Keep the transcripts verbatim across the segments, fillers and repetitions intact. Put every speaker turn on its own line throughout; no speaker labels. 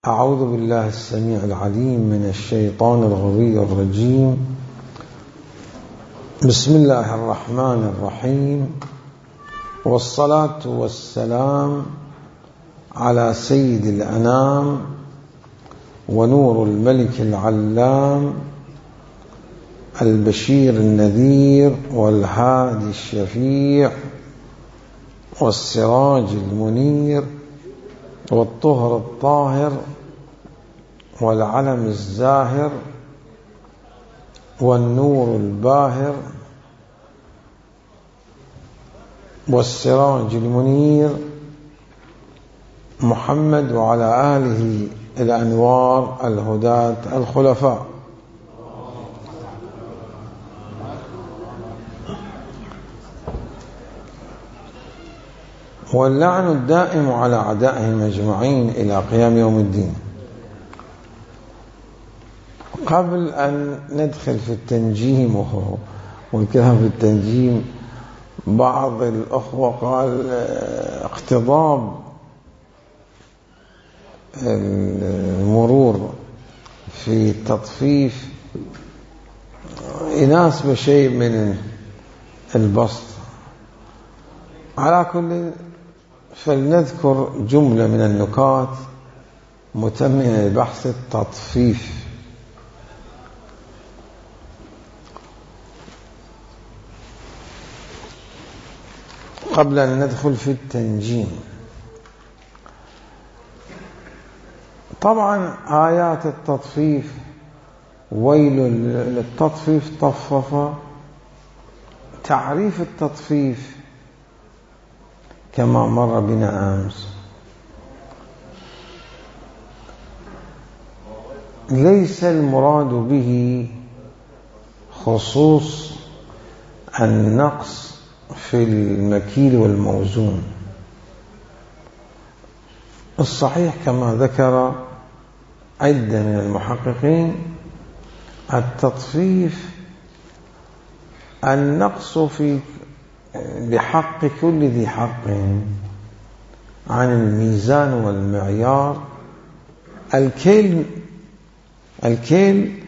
أعوذ بالله السميع العليم من الشيطان الغوي الرجيم. بسم الله الرحمن الرحيم، والصلاة والسلام على سيد الأنام ونور الملك العلام البشير النذير والهادي الشفيع والسراج المنير والطهر الطاهر والعلم الزاهر والنور الباهر والسراج المنير محمد وعلى آله الأنوار الهداة الخلفاء. واللعن الدائم على أعدائهم أجمعين إلى قيام يوم الدين. قبل أن ندخل في التنجيم والكلام في التنجيم، بعض الأخوة قال اقتضاب المرور في التطفيف يناسب شيء من البسط. على كل فلنذكر جملة من النكات متممة لبحث التطفيف. قبل أن ندخل في التنجيم، طبعا آيات التطفيف ويل للتطفيف طفف. تعريف التطفيف كما مر بنا أمس ليس المراد به خصوص النقص في المكيل والموزون. الصحيح كما ذكر عدة من المحققين التطفيف النقص في بحق كل ذي حق عن الميزان والمعيار. الكيل الكيل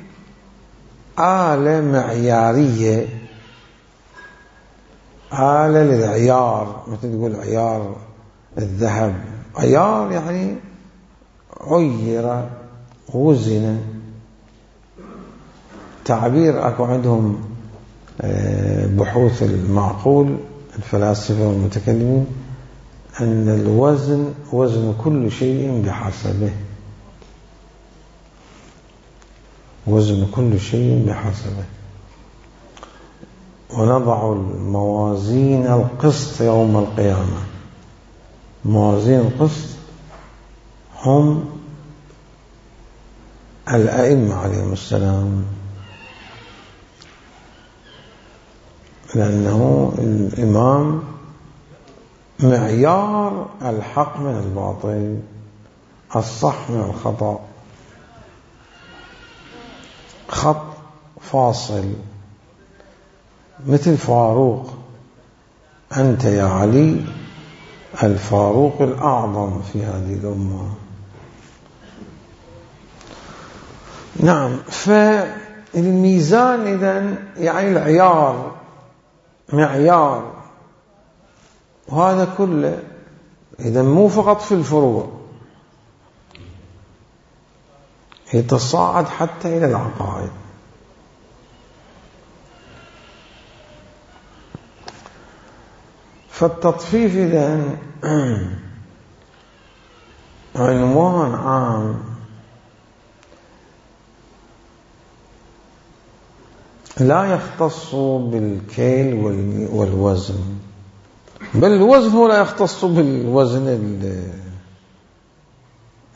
آلة معيارية، آلة للعيار، مثل تقول عيار الذهب، عيار يعني عير وزن. تعبير أكو عندهم بحوث المعقول الفلاسفة والمتكلمين أن الوزن وزن كل شيء بحسبه، وزن كل شيء بحسبه. ونضع الموازين القسط يوم القيامة. موازين القسط هم الأئمة عليهم السلام، لأنه الإمام معيار الحق من الباطل، الصح من الخطأ، خط فاصل. مثل فاروق، أنت يا علي الفاروق الأعظم في هذه الأمة. نعم، فالميزان إذن يعني العيار، معيار، وهذا كله إذن مو فقط في الفروع، يتصاعد حتى إلى العقائد. فالتطفيف إذن عنوان عام لا يختص بالكيل والوزن، بل الوزن هو لا يختص بالوزن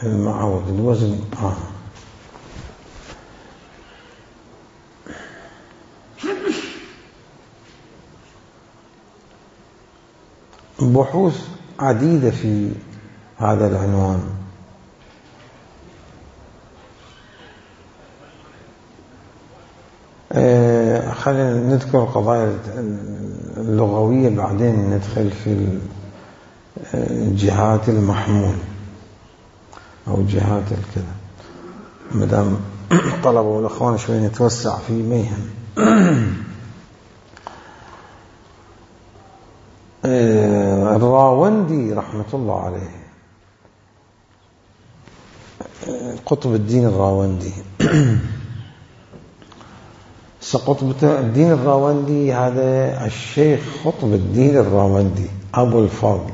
المعود، الوزن عام. بحوث عديدة في هذا العنوان. آه خلينا نذكر القضايا اللغوية، بعدين ندخل في الجهات المحمول. أو جهات الكذا، مدام طلبوا الأخوان شوي نتوسع في ميهم. الراوندي رحمة الله عليه، قطب الدين الراوندي. قطب الدين الراوندي هذا الشيخ قطب الدين الراوندي أبو الفضل،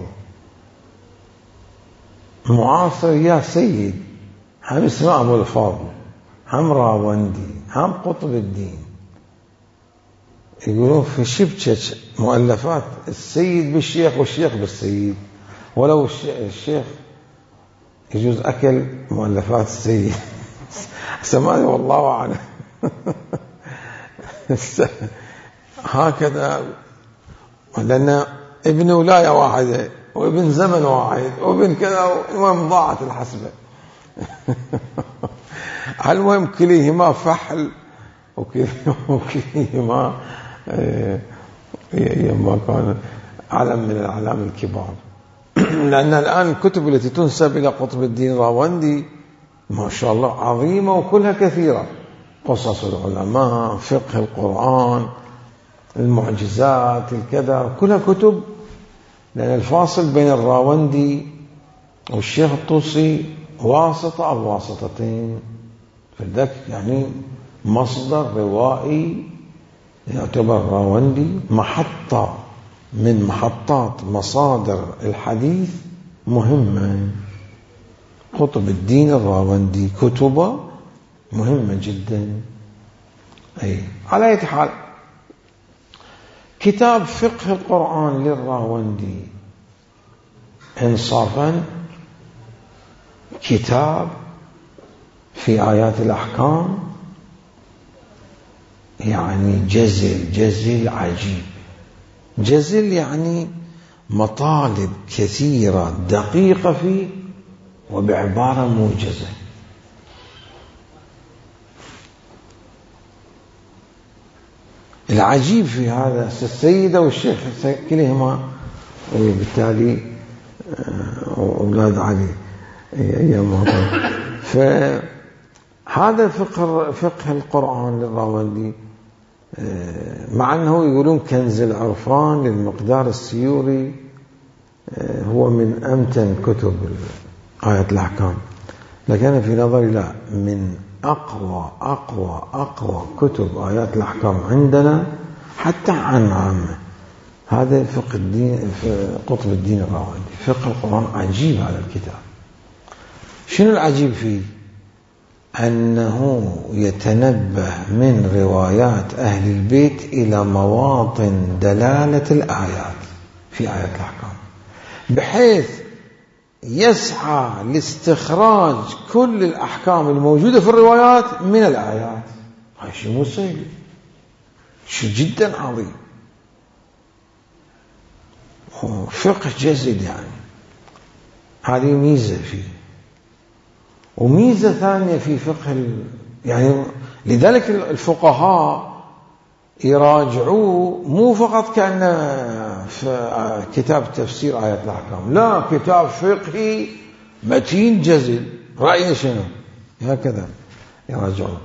معاصر يا سيد، هم اسمه أبو الفضل، هم راوندي، هم قطب الدين. يقولون في شبكة مؤلفات السيد بالشيخ والشيخ بالسيد، ولو الشيخ يجوز أكل مؤلفات السيد. سمعني والله أعلم. هكذا، لأن ابن ولاية واحدة وابن زمن واحد وابن كذا، المهم ضاعت الحسبة. المهم كليهما فحل وكليهما ما كان علم من الأعلام الكبار. لأن الآن الكتب التي تنسب إلى قطب الدين الراوندي ما شاء الله عظيمة وكلها كثيرة، قصص العلماء، فقه القرآن، المعجزات، الكذا، كلها كتب. لأن الفاصل بين الراوندي والشيخ الطوسي واسطة أو واسطتين، فذلك يعني مصدر روائي يعتبر الراوندي محطة من محطات مصادر الحديث مهمة. قطب الدين الراوندي كتبه مهمة جدا. أي على أي حال، كتاب فقه القرآن للراوندي إنصافا كتاب في آيات الأحكام يعني جزل جزل عجيب. جزل يعني مطالب كثيرة دقيقة فيه وبعبارة موجزة. العجيب في هذا السيدة والشيخ كلهما وبالتالي أولاد علي أيام. فهذا فقه فقه القرآن للراوندي، مع أنه يقولون كنز العرفان للمقدار السيوري هو من أمتن كتب آيات الأحكام، لكن في نظري لا، من أقوى أقوى أقوى كتب آيات الأحكام عندنا حتى عن عامة. هذا فقه الدين، قطب الدين الراوندي، فقه القرآن. عجيب هذا الكتاب. شنو العجيب فيه؟ أنه يتنبه من روايات أهل البيت إلى مواطن دلالة الآيات في آيات الأحكام، بحيث يسعى لاستخراج كل الأحكام الموجودة في الروايات من الآيات. هذا شيء مو سهل، شيء جدا عظيم، فقه جزل يعني. هذه ميزة فيه. وميزة ثانية في فقه يعني لذلك الفقهاء يراجعوه مو فقط كأن في كتاب تفسير آيات الأحكام، لا، كتاب فقهي متين جزل، رأيه شنو، هكذا يراجعوه.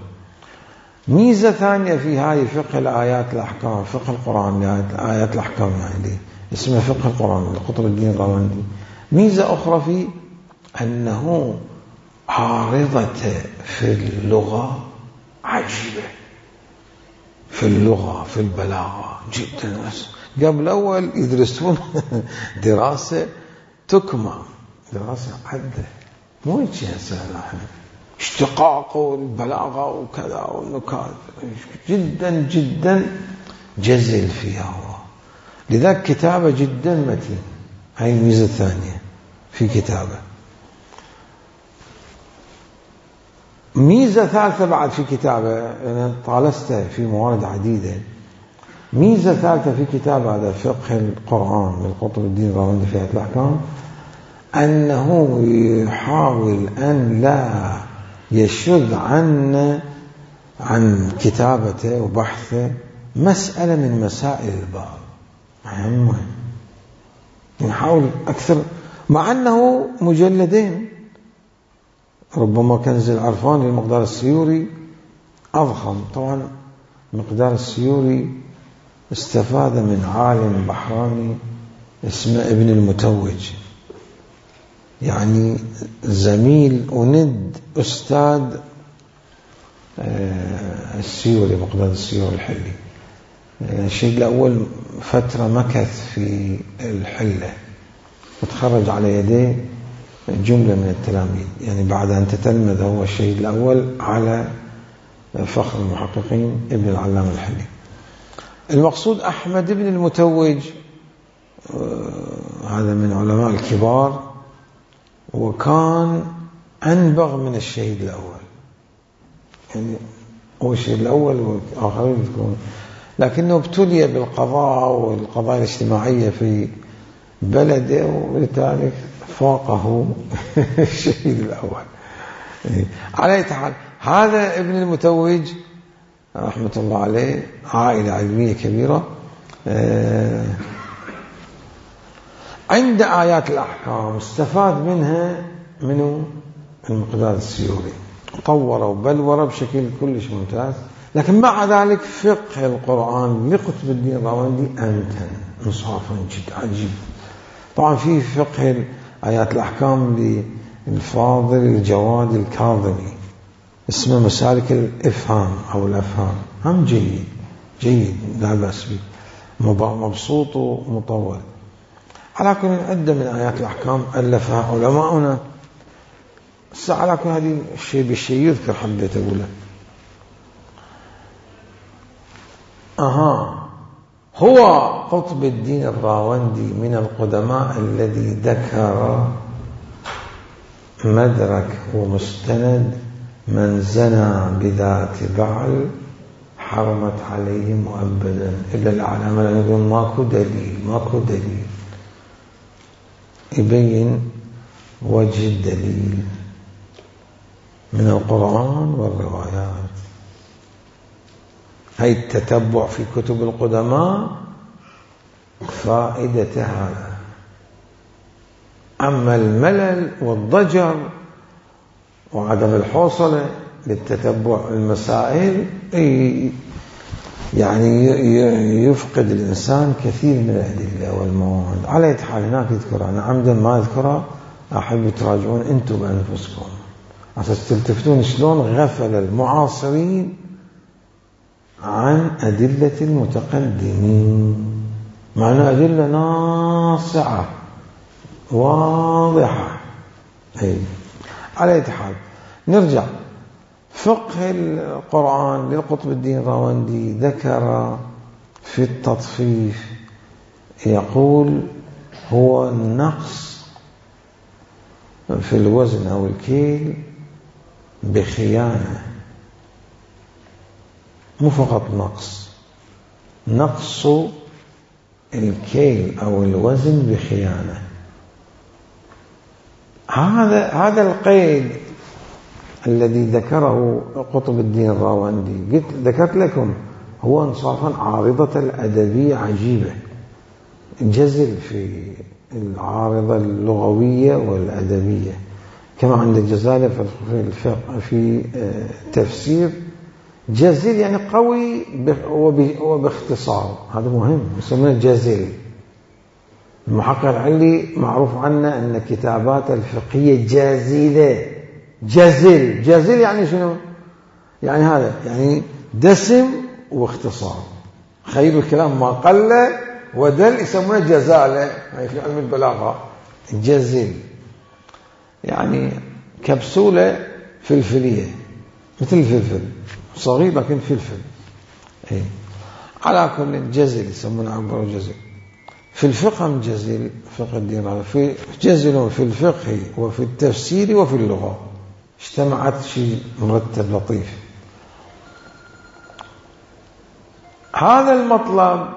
ميزة ثانية في هذه فقه الآيات الأحكام، فقه القرآن آيات الأحكام يعني اسمه فقه القرآن لقطب الدين الراوندي. ميزة أخرى في أنه عارضة في اللغة عجيبة، في اللغة في البلاغة جدا. قبل أول يدرسون دراسة تكمى، دراسة عدة، مو شيء سهل. احنا اشتقاق والبلاغة وكذا والنكات جدا جدا جزل فيها هو. لذلك كتابة جدا متين. هاي الميزة الثانية في كتابة. ميزة ثالثة بعد في كتابة، أنا طالست في موارد عديدة. ميزة ثالثة في كتاب هذا فقه القرآن من قطب الدين الراوندي في آيات الأحكام، أنه يحاول أن لا يشذ عن عن كتابته وبحثه مسألة من مسائل الباب. مهم يحاول أكثر، مع أنه مجلدين ربما كنز العرفان للمقدار السيوري أضخم. طبعا مقدار السيوري استفاد من عالم بحراني اسمه ابن المتوج، يعني زميل وند أستاذ السيوري، مقدار السيوري الحلي. الشيء الأول فترة مكث في الحلة وتخرج على يديه جملة من التلاميذ، يعني بعد أن تتلمذ هو الشهيد الأول على فخر المحققين ابن العلام الحلي. المقصود أحمد بن المتوج هذا من علماء الكبار، وكان أنبغ من الشهيد الأول، يعني هو الشهيد الأول والآخرين يذكرون، لكنه ابتلي بالقضاء والقضايا الاجتماعية في بلده ولذلك فاقه الشهيد الأول. على أي حال هذا ابن المتوج رحمة الله عليه عائلة علمية كبيرة. عند آيات الأحكام استفاد منها منه المقدار السيوري، طور وبلور بشكل كلش ممتاز. لكن مع ذلك فقه القرآن لقطب الدين الراوندي أمتن انصافا جد عجيب. طبعا في فقه آيات الأحكام للفاضل الجواد الكاظمي اسمه مسالك الإفهام أو الأفهام، هم جيد جيد لا بأس به، مبسوط ومطول. على كل عدة من آيات الأحكام ألفها علماؤنا. على كل هذه الشيء بالشيء يذكر حبيت أقوله. أها هو قطب الدين الراوندي من القدماء الذي ذكر مدرك ومستند من زنى بذات بعل حرمت عليه مؤبدا إلا العلامة، لأنه يقول ماكو دليل ماكو دليل، يبين وجه الدليل من القرآن والروايات. هاي التتبع في كتب القدماء فائدة هذا. أما الملل والضجر وعدم الحوصلة للتتبع المسائل يعني يفقد الإنسان كثير من الأدلة والمواد. على أي حال هناك يذكر، أنا عمدا ما أذكره، أحب تراجعون أنتم بأنفسكم عشان تلتفتون شلون غفل المعاصرين عن أدلة المتقدمين، مع أن أدلة ناصعة واضحة. أي على أي حال نرجع. فقه القرآن للقطب الدين الراوندي ذكر في التطفيف يقول هو النقص في الوزن أو الكيل بخيانة، مو فقط نقص، نقص الكيل أو الوزن بخيانة. هذا هذا القيد الذي ذكره قطب الدين الراوندي، قلت ذكرت لكم هو انصافا عارضة الأدبية عجيبة، جزل في العارضة اللغوية والأدبية، كما عند الجزالة في الفقه في تفسير جزل يعني قوي وباختصار، هذا مهم يسمونه جزل. المحقق العلي معروف عنه أن كتابات الفقهية جازلة، جزل جزل يعني شنو؟ يعني هذا يعني دسم واختصار، خير الكلام ما قل ودل، يسمونه جزالة في علم البلاغة. جزل يعني كبسولة فلفلية مثل الفلفل صغير لكن فلفل. إيه. على كل جزل يسمونه عبارة جزل. في الفقه جزل فقه الدين، في جزل في الفقه وفي التفسير وفي اللغة، اجتمعت شيء مرتب لطيف. هذا المطلب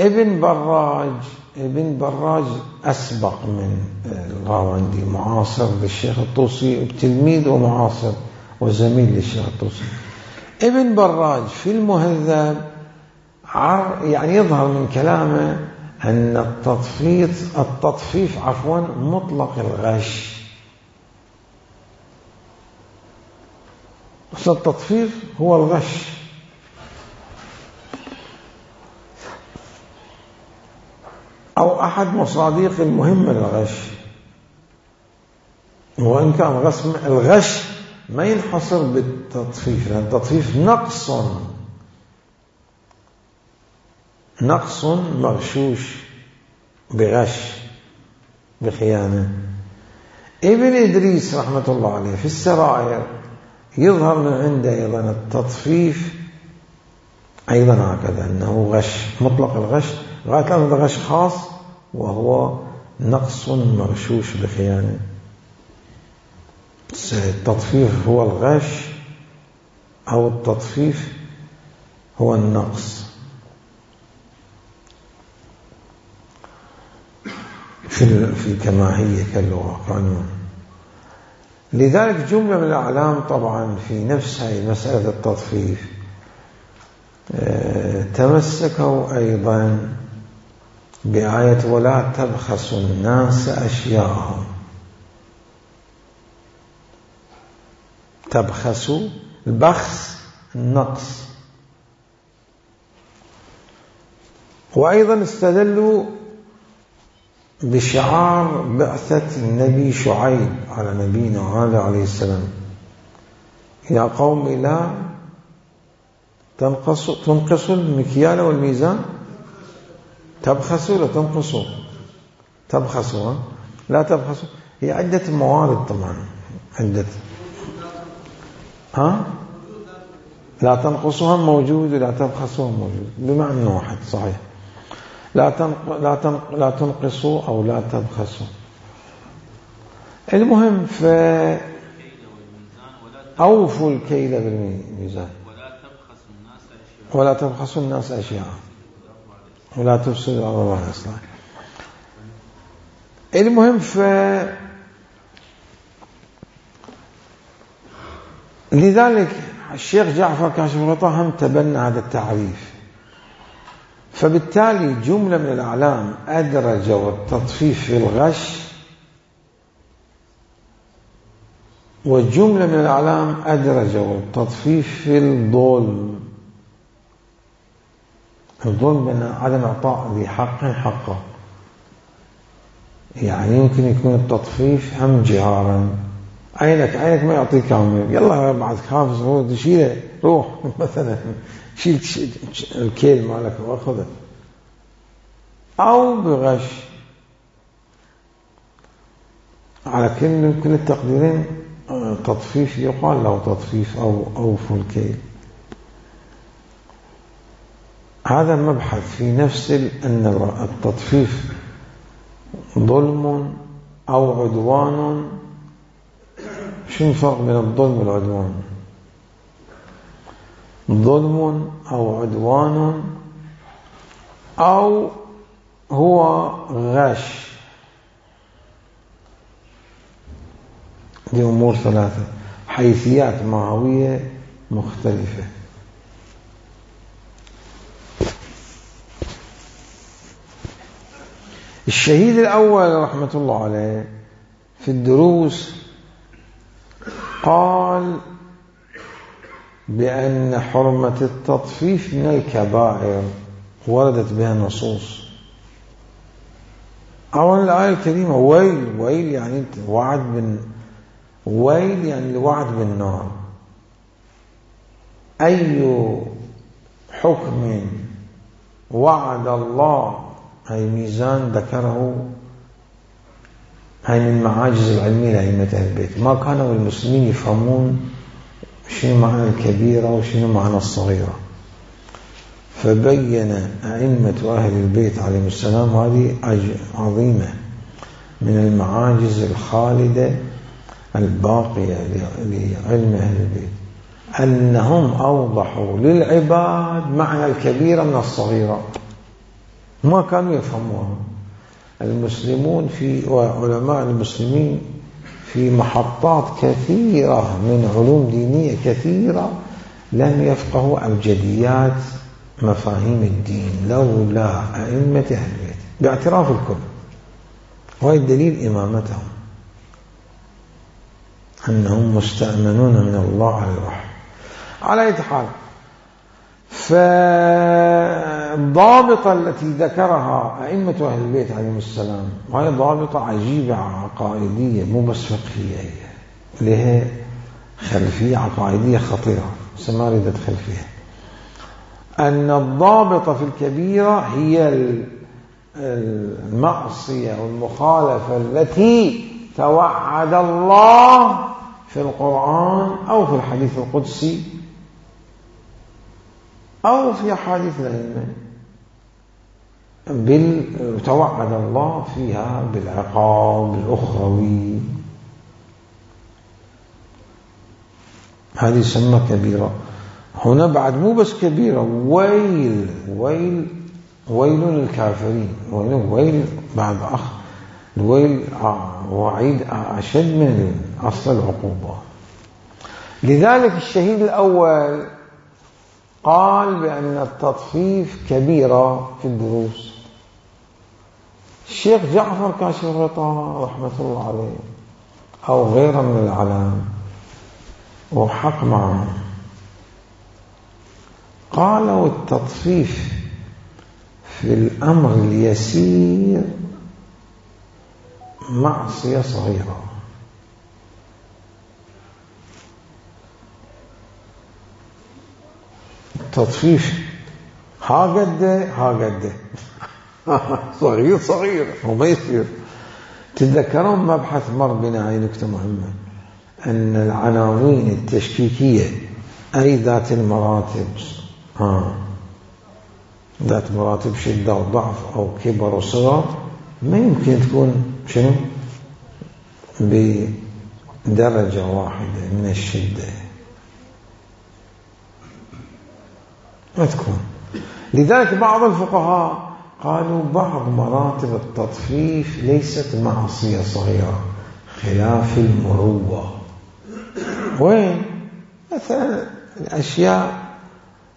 ابن براج ابن براج أسبق من الراوندي، معاصر للشيخ الطوسي، تلميذ ومعاصر وزميل للشيخ الطوسي. ابن براج في المهذب يعني يظهر من كلامه أن التطفيف التطفيف عفوا مطلق الغش التطفيف هو الغش، أو أحد مصادق المهمة للغش. وإن كان الغش ما ينحصر بالتطفيف، لأن التطفيف نقص نقص مغشوش بغش بخيانة. ابن إدريس رحمة الله عليه في السرائر يظهر من عنده أيضا التطفيف أيضا هكذا، أنه غش مطلق الغش غاية هذا غش خاص وهو نقص مغشوش بخيانة. التطفيف هو الغش أو التطفيف هو النقص في في كما هي كاللغة قانون. لذلك جملة من الأعلام طبعا في نفس هذه مسألة التطفيف تمسكوا أيضا بآية ولا تبخسوا الناس أشياءهم. تبخسوا البخس النقص. وأيضا استدلوا بشعار بعثة النبي شعيب على نبينا هذا عليه السلام: يا قوم لا تنقصوا تنقصوا المكيال والميزان. تبخسوا لا تنقصوا. تبخسوا لا تبخسوا. هي عدة موارد طبعا، عدة ها لا تنقصوها موجود ولا تبخسوها موجود بمعنى واحد صحيح. لا تنق... لا تنق... لا تنقصوا أو لا تبخسوا. المهم ف أوفوا الكيل بالميزان ولا تبخسوا الناس أشياء ولا تفسدوا الأرض بعد إصلاحها. المهم ف لذلك الشيخ جعفر كاشف الغطاء هم تبنى هذا التعريف. فبالتالي جملة من الأعلام أدرجوا التطفيف في الغش، وجملة من الأعلام أدرجوا التطفيف في الظلم. الظلم أن عدم إعطاء ذي حق حقه، يعني يمكن يكون التطفيف هم جهارا، عينك عينك ما يعطيك عمر، يلا بعد خافز هو تشيله روح مثلا شيل الكيل مالك واخذه، أو بغش. على كل كل التقديرين تطفيف يقال له تطفيف أو أوفوا الكيل. هذا مبحث في نفس أن التطفيف ظلم أو عدوان. شو الفرق بين الظلم والعدوان؟ ظلم أو عدوان أو هو غش. دي أمور ثلاثة، حيثيات معنوية مختلفة. الشهيد الأول رحمة الله عليه في الدروس قال بأن حرمة التطفيف من الكبائر وردت بها نصوص. أولا الآية الكريمة ويل، ويل يعني وعد بن ويل يعني الوعد بالنار. أي حكم وعد الله، هاي ميزان ذكره، هاي من معاجز العلمية لأئمة أهل البيت. ما كانوا المسلمين يفهمون شنو معنى الكبيرة وشنو معنى الصغيرة، فبين أئمة أهل البيت عليهم السلام هذه عظيمة من المعاجز الخالدة الباقية لعلم أهل البيت، أنهم أوضحوا للعباد معنى الكبيرة من الصغيرة، ما كانوا يفهموها. المسلمون في وعلماء المسلمين في محطات كثيرة من علوم دينية كثيرة لم يفقهوا أبجديات مفاهيم الدين لولا أئمة أهل البيت باعتراف الكل. وهي الدليل إمامتهم، أنهم مستأمنون من الله على الوحي. على أي حال، فالضابطة التي ذكرها أئمة أهل البيت عليهم السلام وهي ضابطة عجيبة عقائدية مو بس فقهية، لها خلفية عقائدية خطيرة، بس ما أريد أدخل فيها. أن الضابطة في الكبيرة هي المعصية والمخالفة التي توعد الله في القرآن أو في الحديث القدسي أو في أحاديث الأئمة توعد الله فيها بالعقاب الأخروي، هذه يسمى كبيرة. هنا بعد مو بس كبيرة، ويل ويل ويل للكافرين، ويل ويل بعد أخ الويل وعيد أشد من أصل العقوبة. لذلك الشهيد الأول قال بأن التطفيف كبيرة في الدروس. الشيخ جعفر كاشف الغطاء رحمة الله عليه أو غيره من العلام وحق معه، قالوا التطفيف في الأمر اليسير معصية صغيرة، التطفيف ها قده ها قده صغير صغير وما يصير. تتذكرون مبحث مر بنا هاي نكتة مهمة، أن العناوين التشكيكية أي ذات المراتب ها ذات مراتب شدة وضعف أو كبر وصغر ما يمكن تكون شنو بدرجة واحدة من الشدة، ما تكون. لذلك بعض الفقهاء قالوا بعض مراتب التطفيف ليست معصية صغيرة، خلاف المروة. وين؟ مثلا الأشياء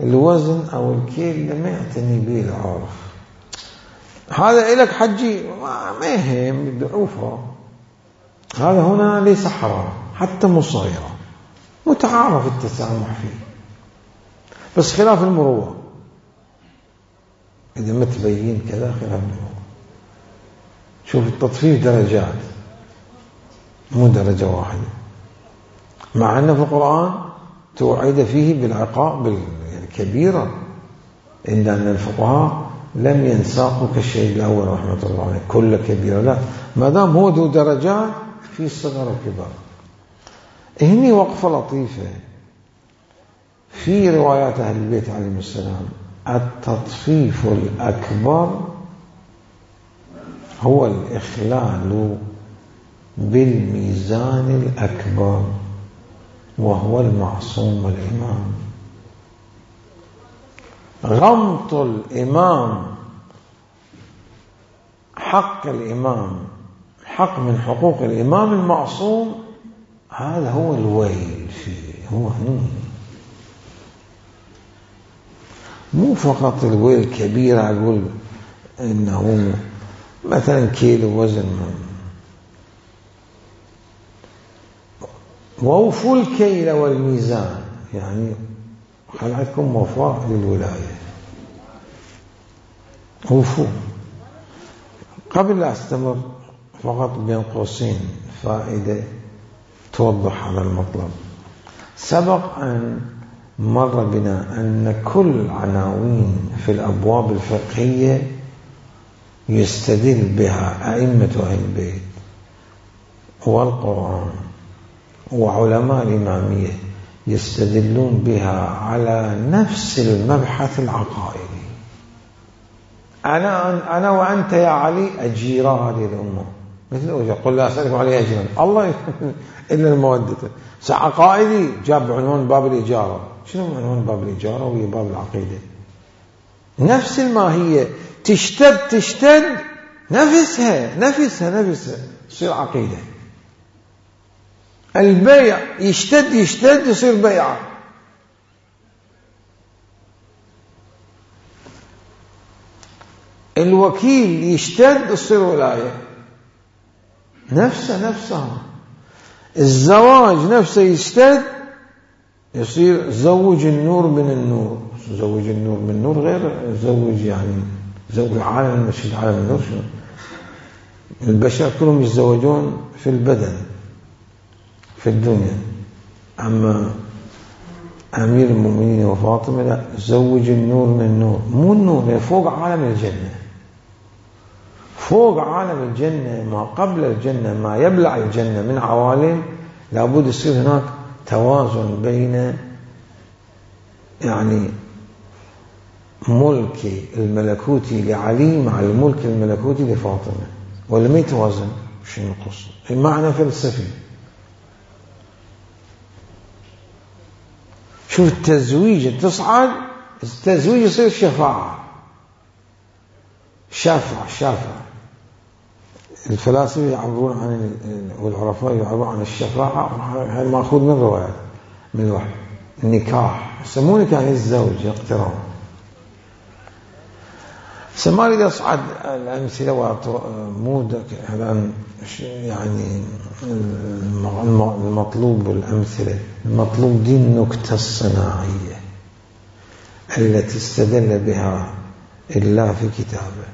الوزن أو الكيل اللي ما يعتني به العرف، هذا إلك حجي ما يهم ضعوفه، هذا هنا ليس حرام حتى مو صغيرة، متعارف التسامح فيه، بس خلاف المروة إذا ما تبين كذا خلاف المروة. شوف التطفيف درجات مو درجة واحدة، مع أن في القرآن توعد فيه بالعقاب الكبيرة، إلا أن الفقهاء لم ينساقوا كالشيء الأول رحمة الله عليه كل كبيرة، لا، ما دام هو ذو درجات في صغر وكبار. هني وقفة لطيفة في روايات أهل البيت عليهم السلام، التطفيف الأكبر هو الإخلال بالميزان الأكبر وهو المعصوم والإمام. غمط الإمام حق الإمام، حق من حقوق الإمام المعصوم، هذا هو الويل فيه، هو هني مو فقط الويل كبير أقول إنه مثلا كيلو وزن، ووفوا الكيل والميزان، يعني خلعتكم وفاء للولاية، وفوا. قبل لا أستمر فقط بين قوسين فائدة توضح هذا المطلب. سبق أن مر بنا أن كل عناوين في الأبواب الفقهية يستدل بها أئمة أهل البيت والقرآن وعلماء الإمامية، يستدلون بها على نفس المبحث العقائدي. أنا أنا وأنت يا علي أجيرا هذه الأمة، مثل أوجه قل لا أسألكم عليه أجرا، الله إلا المودة. عقائدي جاب عنوان باب الإجارة، شنو عنوان باب الإجارة وهي باب العقيدة؟ نفس الماهية، تشتد تشتد نفسها نفسها نفسها تصير عقيدة. البيع يشتد يشتد يصير بيعة. الوكيل يشتد يصير ولاية، نفسه نفسها. الزواج نفسه يشتد يصير زوج النور من النور. زوج النور من النور غير زوج يعني زوج عالم المشهد عالم النور. شنو البشر كلهم يتزوجون في البدن في الدنيا، أما أمير المؤمنين وفاطمة لا، زوج النور من النور. مو النور، فوق عالم الجنة، فوق عالم الجنة، ما قبل الجنة، ما يبلع الجنة من عوالم، لابد يصير هناك توازن بين يعني ملك الملكوتي لعلي مع الملك الملكوتي لفاطمة، ولا ما يتوازن. شنو القصة؟ المعنى فلسفي. شوف التزويج تصعد، التزويج يصير شفاعة، شافع شافع. الفلاسفة يعبرون عن والعرفاء يعبرون عن الشفاعة، هذا مأخوذ من روايات من الوحي. النكاح يسمونه كان الزوج اقتران. سمالي إذا صعد الأمثلة ومودك هذا يعني المطلوب والأمثلة. المطلوب دي النكتة الصناعية التي استدل بها الله في كتابه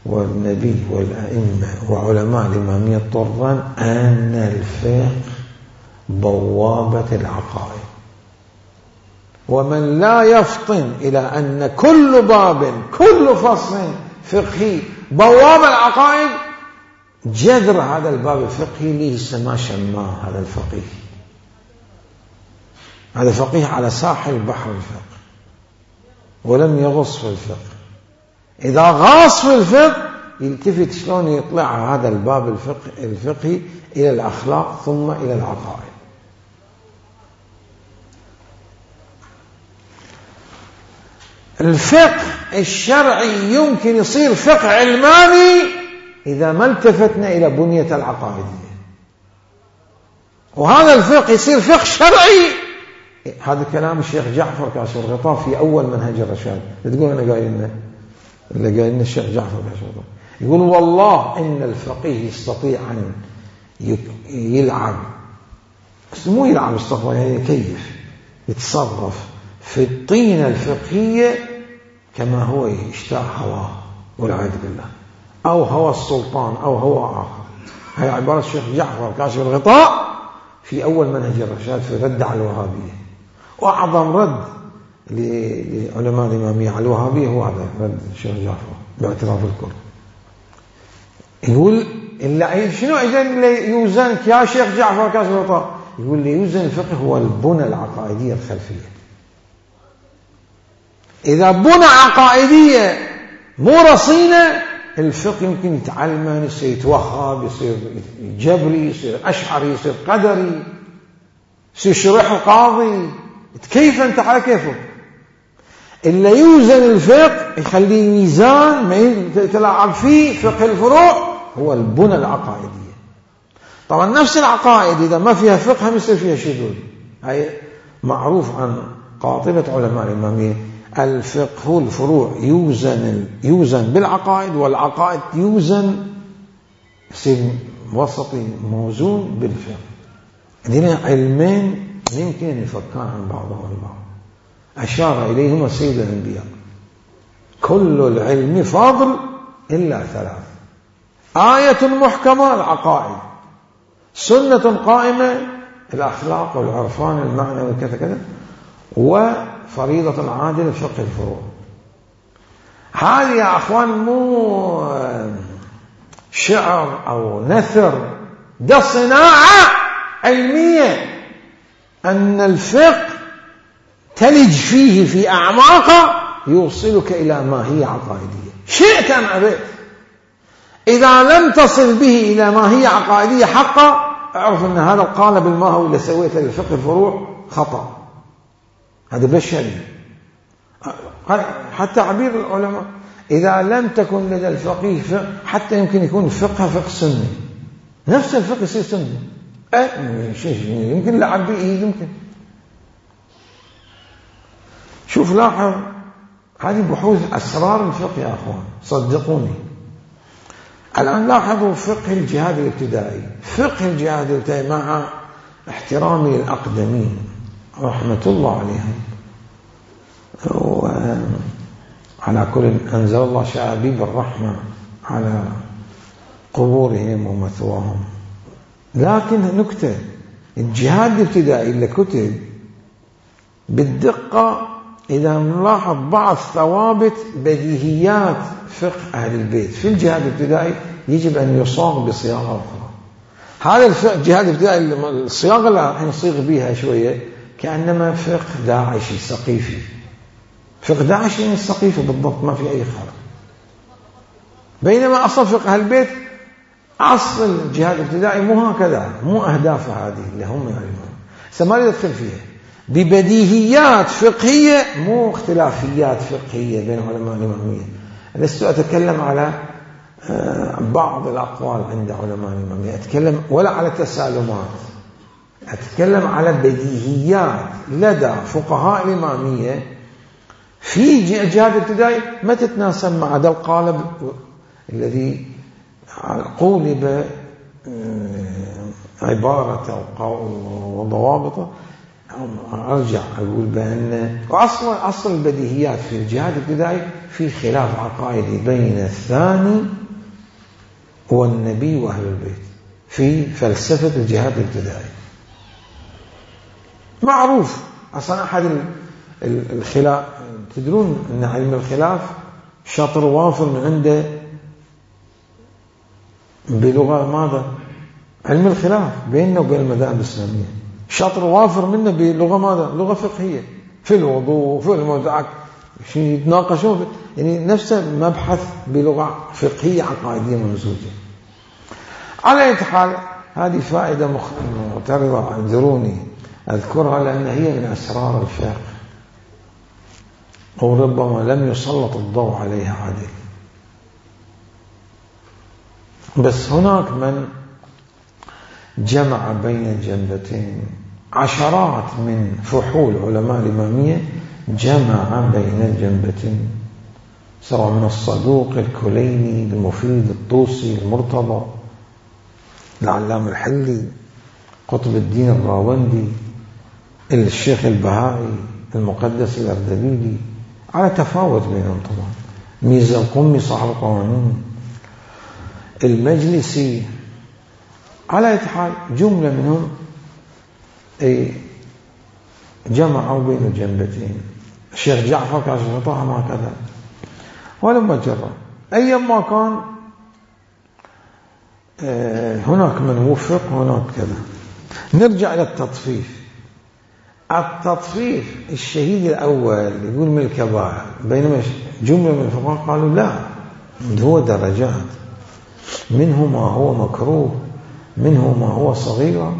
والنبي والأئمة وعلماء الإمامية الطران، أن الفقه بوابة العقائد، ومن لا يفطن إلى أن كل باب كل فصل فقهي بوابة العقائد، جذر هذا الباب الفقهي ليس ما شماه هذا الفقيه. هذا فقيه على ساحل بحر الفقه ولم يغص في الفقه. إذا غاص في الفقه يلتفت شلون يطلع هذا الباب الفقه الفقهي إلى الأخلاق ثم إلى العقائد. الفقه الشرعي يمكن يصير فقه علماني إذا ما التفتنا إلى بنية العقائدية، وهذا الفقه يصير فقه شرعي. هذا كلام الشيخ جعفر كاشف الغطاء في أول منهج الرشاد. تقول أنا قايلنا اللي قايلنا الشيخ جعفر كاشف الغطاء، يقول والله إن الفقيه يستطيع أن يلعب، مو يلعب استغفر يعني كيف يتصرف في الطينة الفقهية كما هو يشتاق هواه والعياذ بالله، أو هوى السلطان أو هوى آخر. هي عبارة الشيخ جعفر كاشف الغطاء في أول منهج الرشاد في رد على الوهابية. وأعظم رد لعلماء الإمامية على الوهابية هو هذا رد الشيخ جعفر باعتراف الكل. يقول إلا شنو إذن يوزن يا شيخ جعفر كاشف الغطاء؟ يقول لي يوزن الفقه هو البنى العقائدية الخلفية. إذا بنى عقائدية مو رصينة، الفقه يمكن يتعلم، يصير يتوهب، يصير جبري، يصير أشعري، يصير قدري، يصير شرح قاضي، كيف أنت على كيفه. إلا يوزن الفقه يخليه ميزان ما يتلاعب فيه فقه الفروع، هو البنى العقائدية. طبعا نفس العقائد إذا ما فيها فقه هم يصير فيها شذوذ. هاي معروف عن قاطبة علماء الإمامية، الفقه الفروع يوزن يوزن بالعقائد، والعقائد يوزن يصير وسطي موزون بالفقه. هذين علمين يمكن أن يفكان عن بعضهم البعض. أشار إليهما سيد الأنبياء: كل العلم فاضل إلا ثلاث: آية محكمة العقائد، سنة قائمة الأخلاق والعرفان المعنى وكذا كذا، وفريضة عادلة فقه الفروع. هذه يا أخوان مو شعر أو نثر، ده صناعة علمية. أن الفقه تلج فيه في أعماقه يوصلك إلى ماهية عقائدية شئت أم أبيت. إذا لم تصل به إلى ماهية عقائدية حقا، اعرف أن هذا القالب الماهوي اللي سويته للفقه الفروع خطأ، هذا بشري. حتى عبير العلماء: إذا لم تكن لدى الفقيه فقه، حتى يمكن يكون فقه فقه سني، نفس الفقه يصير سني، أه يمكن لعب به يمكن. شوف لاحظ هذه بحوث أسرار الفقه يا أخوان، صدقوني. الآن لاحظوا فقه الجهاد الابتدائي. فقه الجهاد الابتدائي مع احترامي للأقدمين رحمة الله عليهم. وعلى كل أنزل الله شعابيب الرحمة على قبورهم ومثواهم. لكن نكتة، الجهاد الابتدائي اللي كتب بالدقة إذا نلاحظ بعض ثوابت بديهيات فقه أهل البيت في الجهاد الابتدائي يجب أن يصاغ بصياغة أخرى. هذا الجهاد الابتدائي الصياغة اللي راح نصيغ بها شوية كأنما فقه داعشي ثقيفي. فقه داعشي ثقيفي بالضبط، ما في أي خلل. بينما أصل فقه أهل البيت أصل الجهاد الابتدائي مو هكذا، مو أهدافه هذه اللي هم يعلمون. سما يدخل فيها ببديهيات فقهية، مو اختلافيات فقهية بين علماء الإمامية. لست أتكلم على بعض الأقوال عند علماء الإمامية، أتكلم ولا على تسالمات، أتكلم على بديهيات لدى فقهاء الإمامية في الجهاد الابتدائي ما تتناسب مع هذا القالب الذي قولب عبارة وضوابطه. أرجع أقول بأن أصل أصل البديهيات في الجهاد الابتدائي في خلاف عقائدي بين الثاني والنبي وأهل البيت في فلسفة الجهاد الابتدائي. معروف أصلا أحد الخلاف، تدرون أن علم الخلاف شطر وافر من عنده بلغة ماذا؟ علم الخلاف بيننا وبين المذاهب الإسلامية شطر وافر منه بلغة ماذا؟ لغة فقهية في الوضوء في الموضوعات شيء يتناقشون، يعني نفسه مبحث بلغة فقهية عقائدية ممزوجة. على أي حال هذه فائدة معترضة، اعذروني أذكرها لأن هي من أسرار الفقه وربما لم يسلط الضوء عليها عادل. بس هناك من جمع بين الجنبتين، عشرات من فحول علماء الإمامية جمع بين الجنبتين، سواء من الصدوق الكليني المفيد الطوسي المرتضى العلام الحلي قطب الدين الراوندي الشيخ البهائي المقدس الأردبيلي، على تفاوت بينهم طبعا، ميزة القمي صاحب القوانين المجلسي، على حال جملة منهم أي جمعوا بين الجنبتين. الشيخ جعفر كاشف الغطاء ما كذا ولما جرى أيما كان هناك من وفق هناك كذا. نرجع إلى التطفيف. التطفيف الشهيد الأول يقول من الكبائر، بينما جملة من الفقهاء قالوا لا، هو درجات، منه ما هو مكروه، منه ما هو صغير،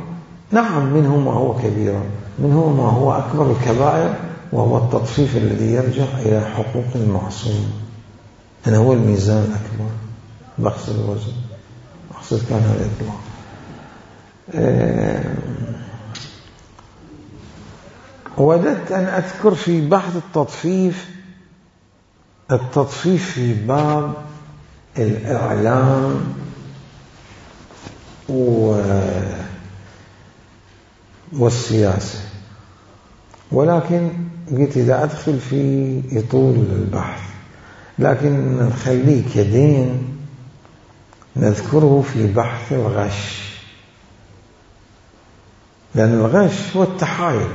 نعم منه ما هو كبير، منه ما هو أكبر الكبائر، وهو التطفيف الذي يرجع إلى حقوق المعصوم. أنا هو الميزان الأكبر، بقصد الوزن، بقصد كان هذا الإطلاق. أه وددت أن أذكر في بحث التطفيف التطفيف في باب الإعلام والسياسة، ولكن قلت إذا أدخل في يطول البحث، لكن نخليه كدين نذكره في بحث الغش، لأن الغش هو التحايل،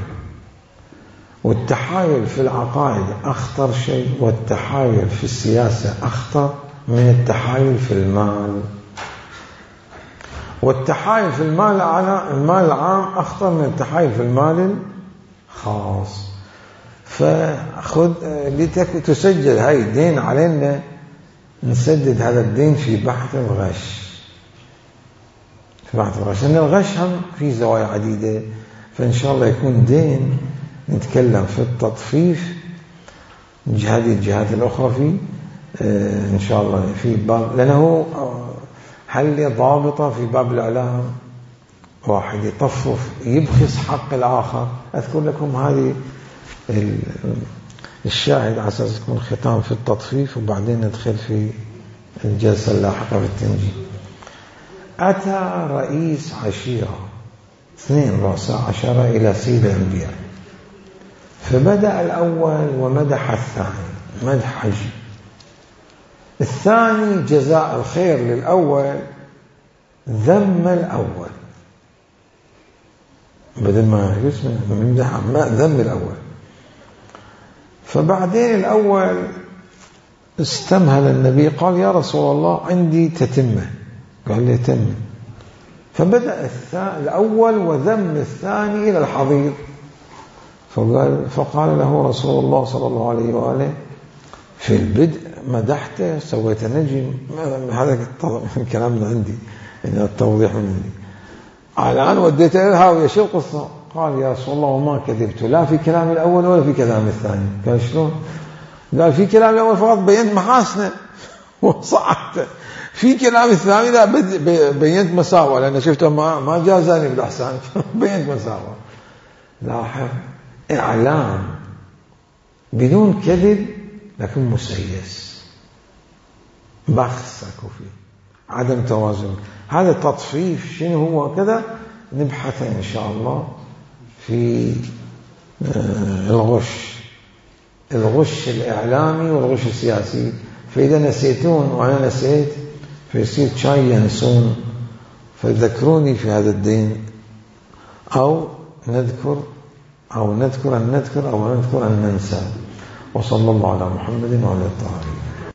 والتحايل في العقائد أخطر شيء، والتحايل في السياسة أخطر من التحايل في المال، والتحايل في المال على المال العام أخطر من التحايل في المال الخاص. فخذ لتك تسجل هاي الدين علينا، نسدد هذا الدين في بحث الغش، في بحث الغش، لأن الغش هم في زوايا عديدة، فإن شاء الله يكون دين نتكلم في التطفيف هذه الجهات الأخرى في إن شاء الله في باب، لأنه حل ضابطة في باب الإعلام، واحد يطفف يبخس حق الآخر. أذكر لكم هذه الشاهد على أساس يكون ختام في التطفيف، وبعدين ندخل في الجلسة اللاحقة في التنجيم. أتى رئيس عشيرة اثنين رؤساء عشرة إلى سيد الأنبياء فبدأ الأول ومدح الثاني مدح حجي. الثاني جزاء الخير للأول ذم الأول، بدل ما يمدح ما ذم الأول. فبعدين الأول استمهل النبي قال يا رسول الله عندي تتمة، قال لي تم. فبدأ الأول وذم الثاني إلى الحضيض، فقال, فقال له رسول الله صلى الله عليه وآله في البدء مدحته سويت نجم. هذا الكلام من عندي، يعني التوضيح من عندي. الآن وديته إلى الهاوية، شو القصة؟ قال يا رسول الله وما كذبت لا في كلام الأول ولا في كلام الثاني. قال شلون؟ قال في كلام الأول فقط بينت محاسنه وصعدته، في كلام الثاني لا بينت مساوى، لأن شفته ما ما جازاني بالأحسان بينت مساوى. لاحظ إعلام بدون كذب لكن مسيس، بخس اكو فيه، عدم توازن. هذا تطفيف شنو هو كذا نبحث إن شاء الله في الغش الغش الإعلامي والغش السياسي. فإذا نسيتون وأنا نسيت فيصير شاي ينسون، فذكروني في هذا الدين، أو نذكر أو نذكر أن نذكر أو نذكر أن ننسى. وصلى الله على محمد وعلى الطاهرين.